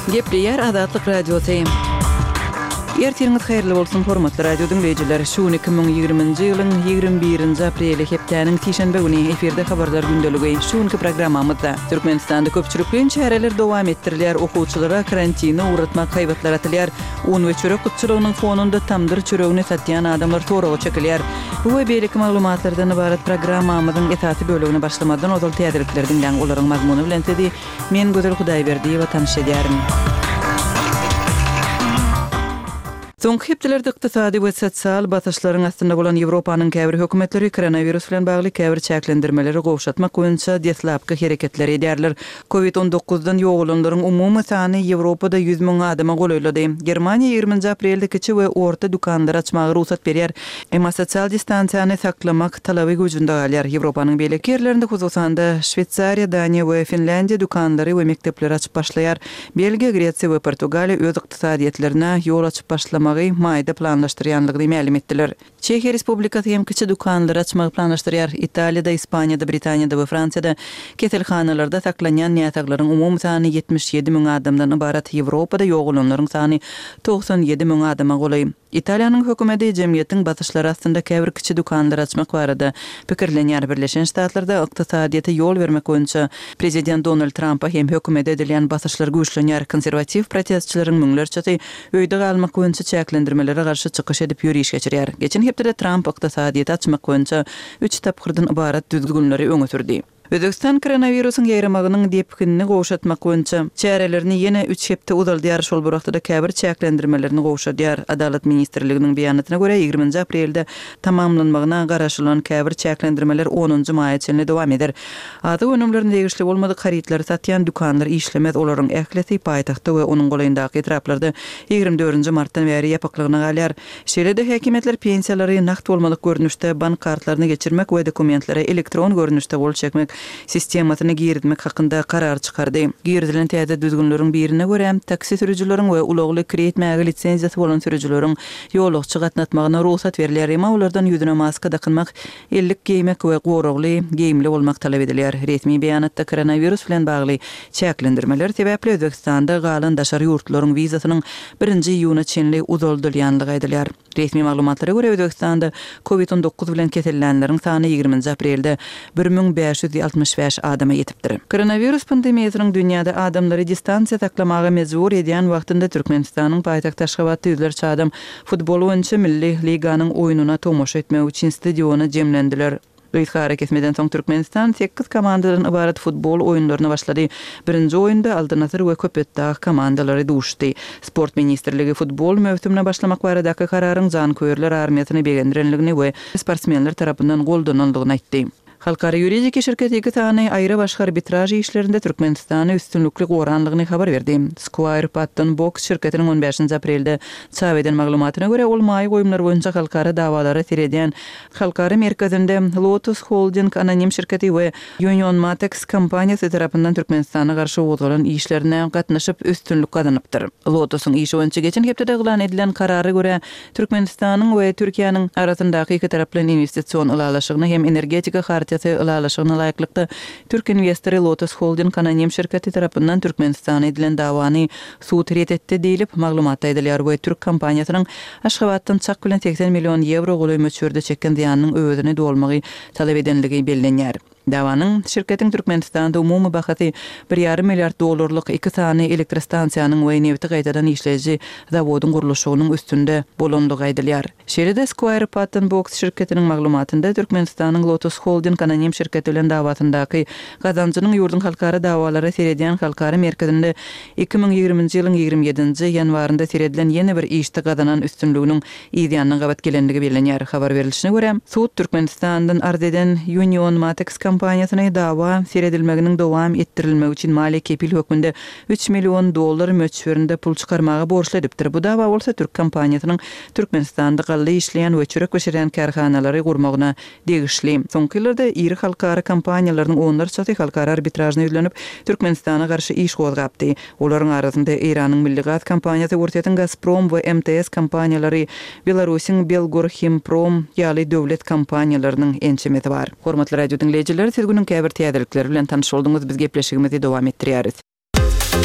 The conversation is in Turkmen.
Gepleýär Azatlyk Radiosy. Ertiriňiz haýyrly bolsun, hormatly radio diňleýjiler! Şu gün 2020-nji ýylyň 21-nji apreli, hepdäniň sişenbe güni, efirde Habarlar gündeligi. Şu günki programmamyzda, Türkmenistanda köpçülikleýin çäreler dowam etdirilýär, okuwçylara karantine ugratmak haýbatlar atylýar, un we çörek gytçylygynyň fonunda tamdyr çöregini satýan adamlar soraga çekilýär. Bu we beýleki maglumatlardan ybarat programmamyzyň esasy bölegine başlamazdan ozal täzelikleri diňläň, olaryň mazmuny bilen sizi men Gözel Hudaýberdiýewa tanyş edýärin. Soňky hepdelerde ykdysady we sosial basyşlaryň astynda bolan Ýewropanyň käbir hökümetleri koronawirus bilen bagly käbir çäklendirmeleri gowşatmak boýunça deslapky hereketleri edýärler. Covid on dokuzdan ýogalanlaryň umumy sany Ýewropada 100 müň adama golaýlady. Germaniýa ýigriminji aprelde kiçi we orta dükanlary açmaga rugsat berýär. Emma sosial distansiýany saklamak talaby güýjünde galýar. Ýewropanyň beýleki ýerlerinde, hususan-da, Şweýsariýa, Daniýa we Finlýandiýa dükanlary we mekdepleri açyp başlaýar. Belgiýa, Gresiýa we Portugaliýa öz ykdysadyýetlerine ýol açyp başlamagy maýda planlaşdyrýanlygyny mälim etdiler. Çehiýa Respublikasy hem kiçi dükanlary açmagy planlaşdyrýar. Italiýada, Ispaniýada, Britaniýada we Fransiýada keselhanalarda saklanýan näsaglaryň umumy sany 77 müň adamdan ybarat, Ýewropada ýogalanlaryň sany 97 müň adama golaý. Italiýanyň hökümeti jemgyýetiň basyşlary astynda käbir kiçi dükanlary açmak barada pikirlenýär. Birleşen Ştatlarda ykdysadyýete ýol bermek boýunça prezident Donald Trampa hem hökümete edilýän basyşlar güýçlenýär. Konserwatiw protestçileriň müňlerçesi öýde galmak boýunça çäklendirmelere garşy çykyş edip ýöriş geçirýär. Geçen hepdede Tramp ykdysadyýeti açmak boýunça üç tapgyrdan ybarat düzgünleri öňe sürdi. Özbegistan koronawirusyň ýaýramagynyň depginini gowşatmak boýunça çärelerini ýene üç hepde uzaldýar, şol bir wagtda-da käbir çäklendirmelerini gowşadýar. Adalat ministrliginiň beýanatyna görä, ýigriminji aprelde tamamlanmagyna garaşylan käbir çäklendirmeler onunjy maýa çenli dowam eder. Azyk önümlerine degişli bolmadyk harytlary satýan dükanlar işlemez, olaryň ählisi paýtagtda we onuň golaýyndaky etraplarda 24-nji martdan bäri ýapyklygyna galýar. Şeýle-de häkimiýetler pensiýalary nagt bolmadyk görnüşde bank kartlaryna geçirmek we dokumentlere elektron görnüşde gol çekmek sistemasyny girizmek hakynda karar çykardy. Girizilen täze düzgünleriň birine görä, taksi sürüjileriň we ulagly kireý etmäge lisenziýasy bolan sürüjileriň ýolagçy gatnatmagyna rugsat berilýär, emma olardan ýüzüne maska dakynmak, ellik geýmek we goragly geýimli bolmak talap edilýär. Resmi beýanatda koronawirus bilen bagly çäklendirmeler sebäpli Özbegistanda galan daşary ýurtlaryň wizasynyň birinji iýuna çenli uzaldylýanlygy aýdylýar. Resmi maglumatlara görä, Özbegistanda Covid 19 bilen kesellänleriň sany ýigriminji aprelde 1565 adama ýetipdir. Koronawirus pandemiýasynyň dünýäde adamlary distansiýa saklamaga mejbur edýän wagtynda Türkmenistanyň paýtagty Aşgabatda ýüzlerçe adam Futbol boýunça milli liganyň oýnuna tomaşa etmek üçin stadiona jemlendiler. Gysga arakesmeden soň Türkmenistan sekiz komandadan ybarat futbol oýunlaryna başlady. Birinji oýunda Altyn asyr we Köpetdag komandalary duşdy. Sport ministrligi futbol möwsümine başlamak baradaky kararyň janköýerler armiýasyny begendirenligini we sportsmenler tarapyndan goldanandygyny aýtdy. Halkara ýuridiki şirketi iki sany aýry-başga arbitraž işlerinde Türkmenistany üstünlikli goranlygyny habar berdi. Squire Patton Boggs şirketiniň on bäşinji aprelde çap eden maglumatyna görä, ol maýa goýumlar boýunça halkara dawalara seredýän halkara merkezinde Lotus Holding anonim şirketi we Union Matex kompaniýasy tarapyndan Türkmenistana garşy gozgalan işlerine gatnaşyp üstünlik gazanypdyr. Lotusyň işi boýunça geçen hepdede yglan edilen karara görä, Türkmenistanyň we Türkiýäniň arasyndaky ikitaraplaýyn inwestision ylalaşygyna hem Energetika hartiýasy ylalaşygyna laýyklykda, türk inwestory Lotos Holding anonim şirketi tarapyndan Türkmenistana edilen dawany sud ret etdi diýlip, maglumatda aýdylýar we türk kompaniýasynyň Aşgabatdan çak bilen 80 million ýewro golaý möçberde çeken zyýanynyň öwezini dolmagy talap edenligi bellenýär. Dawanyň şirketiň Türkmenistanda umumy bahasy bir ýarym milliard dollarlyk iki sany elektrostansiýanyň we nebiti gaýtadan işleýji zawodyň gurluşygynyň üstünde bolandygy aýdylýar. Şeýle-de Squire Patton Boggs şirketiniň maglumatynda Türkmenistanyň Lotus Holding anonim şirketi bilen dawasyndaky gazanjynyň ýurduň halkara dawalara seredýän halkara merkezinde 2020-nji ýylyň 27-nji ýanwarynda seredilen ýene bir işde gazanan üstünliginiň yz ýanyna gabat gelendigi bellenýär. Habar berlişine görä, sud Türkmenistandan arz eden Union Matex kompaniýasyny dawa seredilmeginiň dowam etdirilmegi üçin maliýe kepil hökmünde üç million dollar möçberinde pul çykarmaga borçly edipdir. Bu dawa bolsa türk kompaniýasynyň Türkmenistanda galla işleýän we çörek bişirýän kärhanalary gurmagyna degişli. Soňky ýyllarda iri halkara kompaniýalarynyň onlarçasy halkara arbitražyna ýüzlenip, Türkmenistana garşy iş gozgapdy. Olaryň arasynda Eýranyň Milli gaz kompaniýasy, Orsýetiň Gazprom we MTS kompaniýalary, Belarusyň Belgorhimprom ýaly döwlet kompaniýalarynyň ençemesi bar. Hormatly radio diňleýjiler, siz günüň käbir täzelikleri bilen tanyş bolduňyz, biz gepleşigimizi dowam etdirýäris.